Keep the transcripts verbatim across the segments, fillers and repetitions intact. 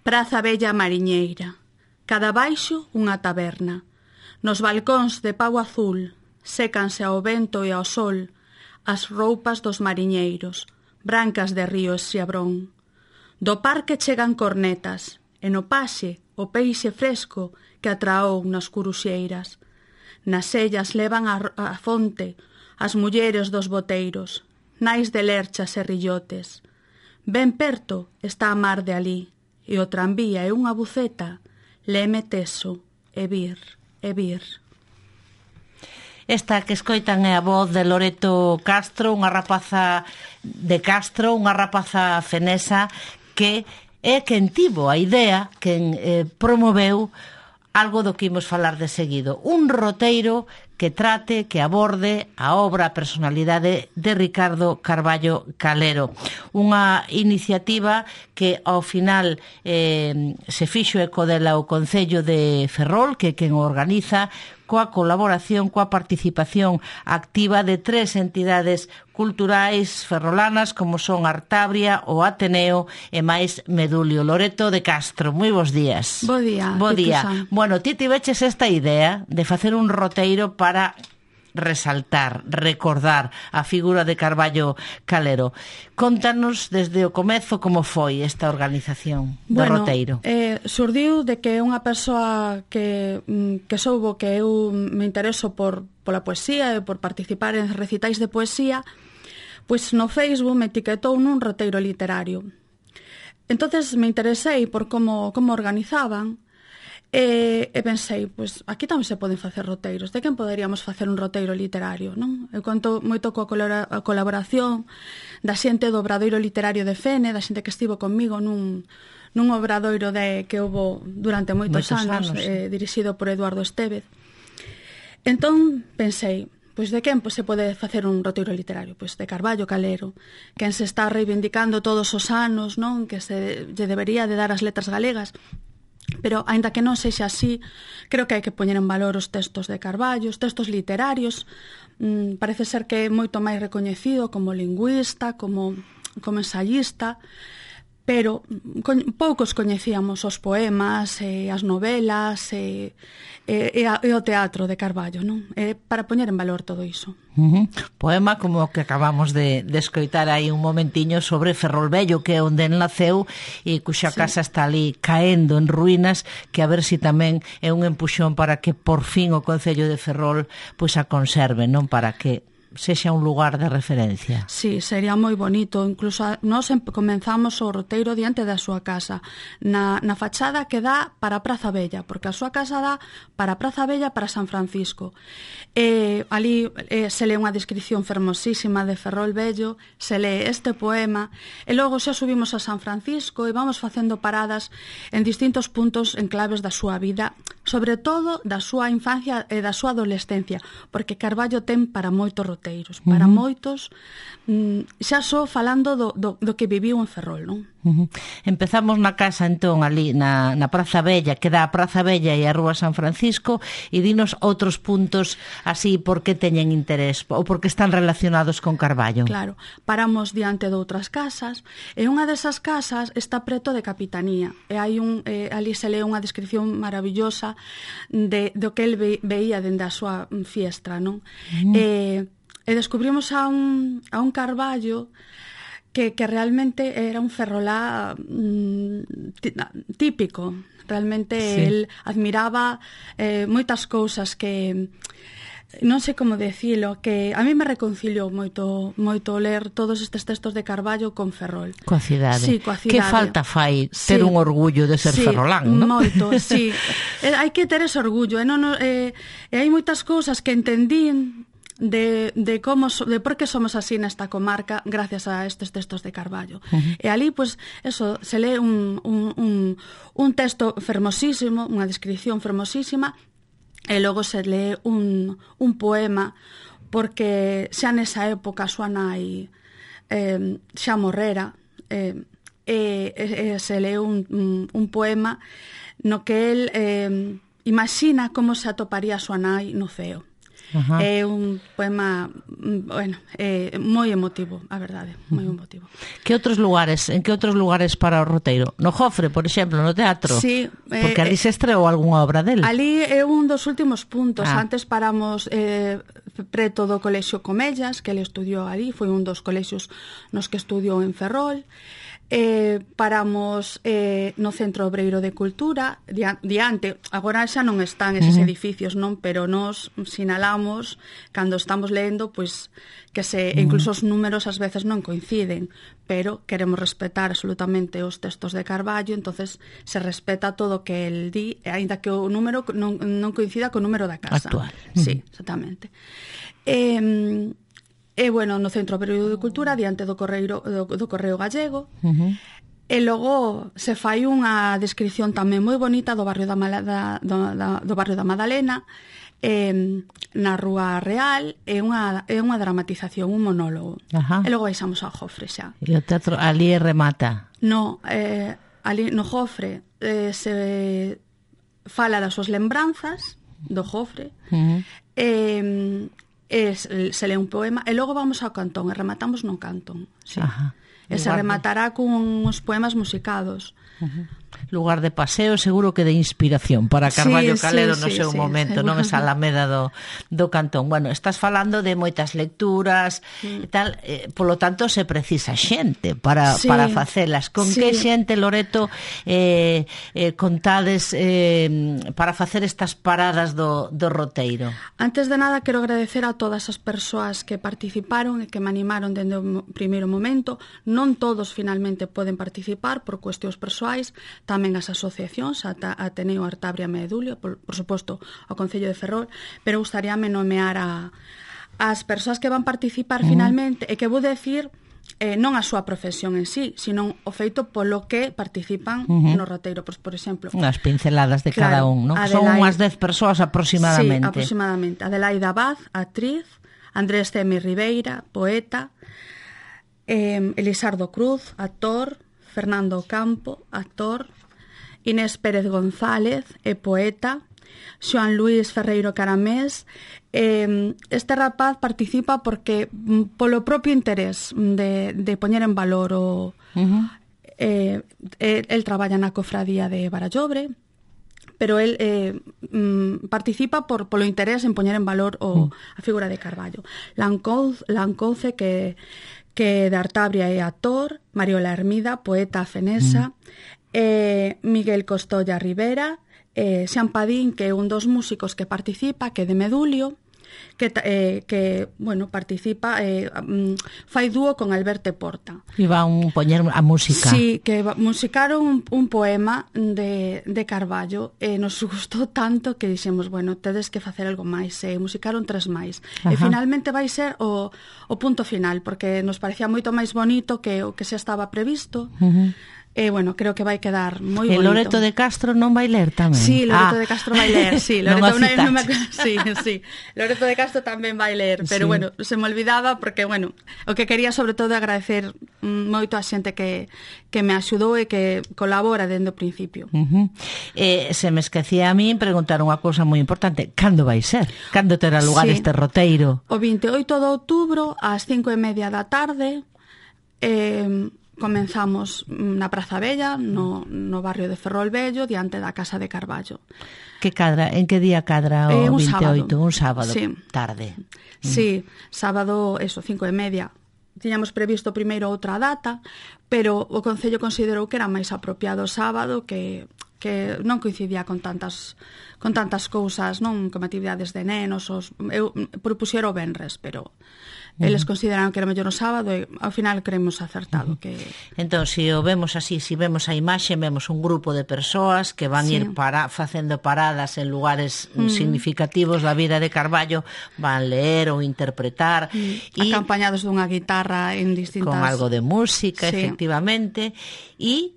Praza Bella mariñeira, cada baixo unha taberna. Nos balcóns de pau azul sécanse ao vento e ao sol as roupas dos mariñeiros, brancas de río e xiabrón. Do parque chegan cornetas, e no paxe o peixe fresco que atraou nas curuxeiras. Nas sellas levan a, a fonte as mulleres dos boteiros, nais de lerchas e rillotes. Ben perto está a mar de alí, e o tranvía é unha buceta, leme teso, e vir, e vir. Esta que escoitan é a voz de Loreto Castro, unha rapaza de Castro, unha rapaza fenesa que é quen tivo a idea, quen eh, promoveu algo do que imos falar de seguido. Un roteiro que trate, que aborde a obra, a personalidade de Ricardo Carballo Calero. Unha iniciativa que ao final eh, se fixo eco dela o Concello de Ferrol, que quen organiza, coa colaboración, coa participación activa de tres entidades culturais ferrolanas como son Artabria, o Ateneo e máis Medulio. Loreto de Castro, moi bons días. Bo día. Bo día. Bueno, ti tiveches esta idea de facer un roteiro para resaltar, recordar a figura de Carballo Calero. Contanos desde o comezo como foi esta organización do bueno, roteiro. Eh, surdiu de que unha persoa que, que soubo que eu me intereso por pola poesía e por participar en recitais de poesía, pois no Facebook me etiquetou nun roteiro literario. Entonces me interesei por como, como organizaban. E, e pensei, pois aquí tamén se poden facer roteiros. De quen poderíamos facer un roteiro literario, non? Eu conto moito coa colaboración da xente do Obradoiro Literario de Fene, da xente que estivo comigo nun, nun obradoiro de, que houve durante moitos, moitos anos, anos eh, dirixido por Eduardo Estevez. Entón pensei, pois de quen pois, se pode facer un roteiro literario? Pois de Carballo Calero, quen se está reivindicando todos os anos, non? Que se lle debería de dar as letras galegas. Pero, aínda que non sexa así, creo que hai que poñer en valor os textos de Carballo, os textos literarios. Mm, parece ser que é moito máis recoñecido como lingüista, como, como ensayista, pero con, poucos coñecíamos os poemas, e as novelas e, e, e, a, e o teatro de Carballo, non? E para poñer en valor todo iso. Uh-huh. Poema como o que acabamos de, de escoitar aí un momentiño sobre Ferrol Vello, que é onde el naceu e cuxa sí. casa está ali caendo en ruínas, que a ver si tamén é un empuxón para que por fin o Concello de Ferrol pois a conserve, non? Para que sexa un lugar de referencia. Sí, sería moi bonito. Incluso a, nós comenzamos o roteiro diante da súa casa, na, na fachada que dá para a Praza Bella, porque a súa casa dá para a Praza Bella, para San Francisco. E ali eh, se lee unha descripción fermosísima de Ferrol Vello, se lee este poema, e logo xa subimos a San Francisco e vamos facendo paradas en distintos puntos en claves da súa vida, sobre todo da súa infancia e da súa adolescencia, porque Carballo ten para moitos roteiros, para uh-huh. moitos, mm, xa só falando do, do, do que viviu en Ferrol, non? Uh-huh. Empezamos na casa entón ali na, na Praza Bella, que dá a Praza Bella e a Rúa San Francisco, e dinos outros puntos así por que teñen interés ou porque están relacionados con Carballo. Claro, paramos diante de outras casas e unha desas casas está preto de Capitanía e hai un, eh, ali se lee unha descripción maravillosa de, do que el ve, veía dende a súa fiestra, non? Uh-huh. E, e descubrimos a un, a un Carballo que, que realmente era un ferrolá mm, típico. Realmente sí. El admiraba eh, moitas cousas que non sei como decilo, que a mí me reconciliou moito moito ler todos estes textos de Carballo con Ferrol. Coa cidade. Sí, coa cidade. Que falta fai ter sí. un orgullo de ser sí, ferrolán, non? Moito, sí. eh, hai que ter ese orgullo, e non eh, e hai moitas cousas que entendín de, de como de por que somos así nesta comarca gracias a estes textos de Carballo. Uh-huh. E ali, pois, pues, eso, se lee un, un, un, un texto fermosísimo, unha descripción fermosísima, e logo se lee un, un poema, porque xa nesa época a súa nai eh, xa morrera, eh, e, e, e se lee un, un, un poema no que el eh, imagina como se atoparía a súa nai no ceo. Ajá. É un poema, bueno, é moi emotivo, a verdade, moi emotivo. Que outros lugares, en que outros lugares para o roteiro? No Jofre, por exemplo, no teatro? Sí. Porque eh, ali se estreou algunha obra del. Ali é un dos últimos puntos. Ah. Antes paramos eh, preto do Colexio Comellas, que ele estudiou ali, foi un dos colexios nos que estudiou en Ferrol. Eh, paramos eh, no Centro Obreiro de Cultura diante, agora xa non están eses uh-huh. edificios, non, pero nos sinalamos cando estamos lendo, pois que se uh-huh. incluso os números ás veces non coinciden, pero queremos respetar absolutamente os textos de Carballo, entonces se respeta todo o que el di, aínda que o número non, non coincida co número da casa actual. Sí, exactamente. Eh, E, bueno, no Centro Obreiro de Cultura, diante do Correio, do, do Correo Gallego. Uh-huh. E logo se fai unha descripción tamén moi bonita do barrio da, da, do, da, do barrio da Madalena, eh, na Rúa Real, é unha, é unha dramatización, un monólogo. Ajá. E logo baixamos ao Jofre xa. E o teatro ali remata? No, eh, ali no Jofre eh, se fala das súas lembranzas do Jofre, uh-huh. e... Es, se lee un poema e logo vamos ao cantón e rematamos no cantón, sí. Ajá. E se rematará con uns poemas musicados. Uh-huh. Lugar de paseo, seguro que de inspiración para Carballo sí, Calero sí, no sí, seu sí, momento, seguro. non esa alameda do, do cantón. Bueno, estás falando de moitas lecturas e mm. tal, eh, polo tanto se precisa xente para, sí, para facelas. Con sí. que xente, Loreto, eh, eh, contades eh, para facer estas paradas do, do roteiro? Antes de nada, quero agradecer a todas as persoas que participaron e que me animaron dende o primeiro momento. Non todos finalmente poden participar por cuestións persoais, tamén as asociacións, a Ateneo Artabria Medulio, por, por suposto, ao Concello de Ferrol, pero gustaríame nomear a as persoas que van participar uh-huh. finalmente, e que vou decir eh, non a súa profesión en sí, sino o feito polo que participan uh-huh. no roteiro. Por, por exemplo, unhas pinceladas de cada claro, un, non? Adelaide, son unhas dez persoas aproximadamente. Sí, aproximadamente. Adelaide Abad, actriz, Andrés Cemi Ribeira, poeta, eh, Elisardo Cruz, actor, Fernando Campo, actor, Inés Pérez González, é poeta, Xoan Luís Ferreiro Caramés. Eh, este rapaz participa porque polo propio interés de, de poñer en valor o... Uh-huh. Eh, el, el traballa na cofradía de Barallobre, pero el eh, mm, participa por polo interés en poñer en valor o, uh. a figura de Carballo. Lancouce, Lancouce que... que de Artabria é actor, Mariola Hermida, poeta fenesa, mm. eh, Miguel Costolla Rivera, eh, Xan Padín, que é un dos músicos que participa, que é de Medulio, que, eh, que bueno, participa, eh, um, fai dúo con Alberto Porta. E van poñer a música. Sí, que musicaron un, un poema de, de Carballo e nos gustou tanto que dixemos, bueno, tedes que facer algo máis, e musicaron tres máis. Ajá. E finalmente vai ser o, o punto final, porque nos parecía moito máis bonito que o que xa estaba previsto. Uh-huh. E, bueno, creo que vai quedar moi bonito. E Loreto de Castro non vai ler tamén? Sí, Loreto ah. de Castro vai ler, sí. Loreto, non non me... sí, sí. Loreto de Castro tamén vai ler, pero, sí. bueno, se me olvidaba porque, bueno, o que quería sobre todo agradecer moito a xente que, que me axudou e que colabora dende o principio. Uh-huh. Eh, se me esquecía a min preguntar unha cousa moi importante. Cando vai ser? Cando terá lugar sí. este roteiro? O vinte e oito de outubro, ás cinco e media da tarde, eh... comenzamos na Praza Bella, no, no barrio de Ferrol Vello, diante da Casa de Carballo. Que cadra, en que día cadra o eh, un vinte e oito? Sábado. Un sábado, sí. tarde. Sí, sábado, eso, cinco e media. Tiñamos previsto primeiro outra data, pero o Concello considerou que era máis apropiado o sábado, que, que non coincidía con tantas con tantas cousas, non, como actividades de nenos. Os, eu propuxero o venres, pero... Eles consideraron que era mellor o sábado e ao final creemos acertado que... Entón, se o vemos así, se vemos a imaxe, vemos un grupo de persoas que van sí. ir para, facendo paradas en lugares mm. significativos da vida de Carballo, van ler ou interpretar mm. e acompañados dunha guitarra en distintas... Con algo de música, sí. efectivamente, e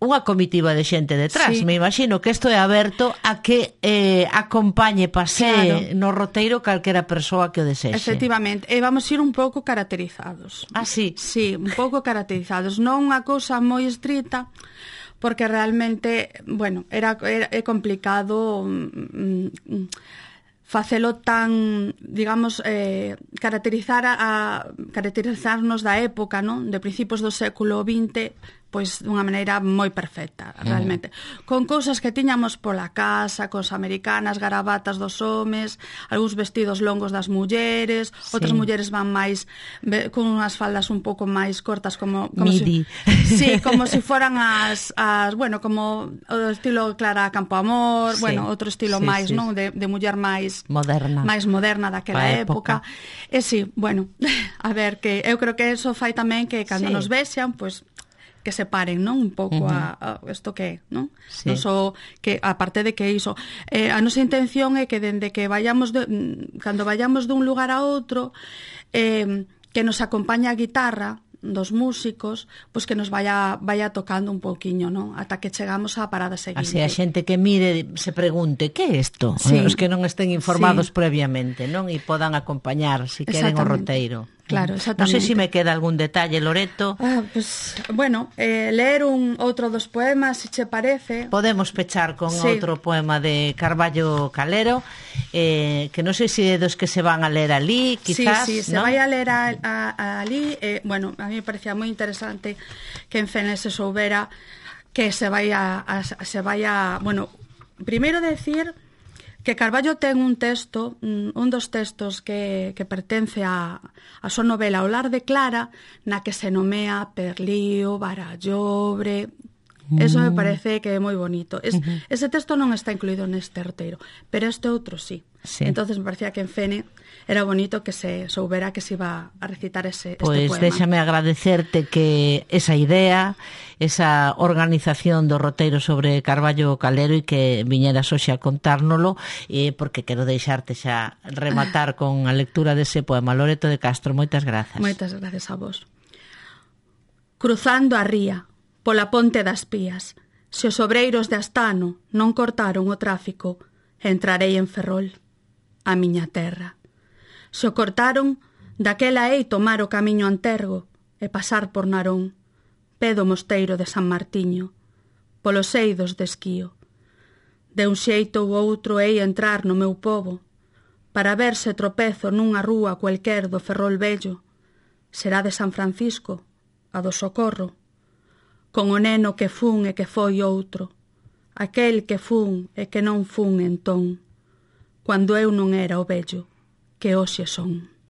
unha comitiva de xente detrás. Sí. Me imagino que isto é aberto a que eh, acompañe, pasee claro. no roteiro calquera persoa que o desexe. Efectivamente. E vamos ir un pouco caracterizados. Ah, sí? Sí, un pouco caracterizados. Non unha cousa moi estrita, porque realmente, bueno, era, era é complicado... Mm, facelo tan, digamos, eh, caracterizar a, caracterizarnos da época, non? De principios do século vinte, pois dunha maneira moi perfecta, realmente. Mm. Con cousas que tiñamos pola casa, cos americanas, garabatas dos homes, algúns vestidos longos das mulleres, sí. Outras mulleres van máis con unhas faldas un pouco máis cortas, como, como midi. Si, sí, como si foran as, as, bueno, como o estilo Clara Campoamor, sí. Bueno, outro estilo sí, máis, sí. Non? De, de muller máis moderna, máis moderna daquela época. época. E si, sí, bueno, a ver, que eu creo que eso fai tamén que cando sí. Nos vexan, pois pues, que separen, non? Un pouco uh-huh. a, a isto que é, non? Sí. Non so que aparte de que iso, eh, a nosa intención é que dende que vayamos de, cando vayamos dun lugar a outro, eh, que nos acompaña a guitarra dos músicos, pois que nos vaya vaya tocando un pouquiño, non? Ata que chegamos á parada seguinte. Así a xente que mire se pregunte, que é isto? Sí. Os que non estén informados sí. Previamente, non? E podan acompañar, se si queren o roteiro. Claro, exactamente. Non sei se me queda algún detalle, Loreto. Ah, pues, bueno, eh, leer un outro dos poemas, se che parece. Podemos pechar con sí. Outro poema de Carballo Calero, eh, que non sei se é dos que se van a ler ali, quizás, sí, sí, se ¿no? vai a ler a, a, a ali. Eh, bueno, a mí me parecía moi interesante que en Fene se soubera que se vai a, a se vai a, bueno, primeiro decir que Carballo ten un texto, un dos textos que, que pertence a, a súa novela O lar de Clara, na que se nomea Perlío, Barallobre. Eso me parece que é moi bonito. Es, uh-huh. Ese texto non está incluído neste roteiro, pero este outro sí. Sí. Entonces me parecía que en Fene era bonito que se soubera que se iba a recitar ese, pues este poema. Pois déxame agradecerte que esa idea, esa organización do roteiro sobre Carballo Calero e que viñeras hoxe a contárnolo, eh, porque quero deixarte xa rematar con a lectura dese poema. Loreto de Castro, moitas grazas. Moitas grazas a vos. Cruzando a ría, pola ponte das Pías, se os obreiros de Astano non cortaron o tráfico, entrarei en Ferrol, a miña terra. Se o cortaron, daquela hei tomar o camiño a Antergo e pasar por Narón, pé do mosteiro de San Martiño, polos eidos de Esquío. De un xeito ou outro hei entrar no meu pobo, para ver se tropezo nunha rúa cualquer do Ferrol vello, será de San Francisco, a do Socorro, con o neno que fun e que foi outro, aquel que fun e que non fun entón, cando eu non era o vello que hoxe son.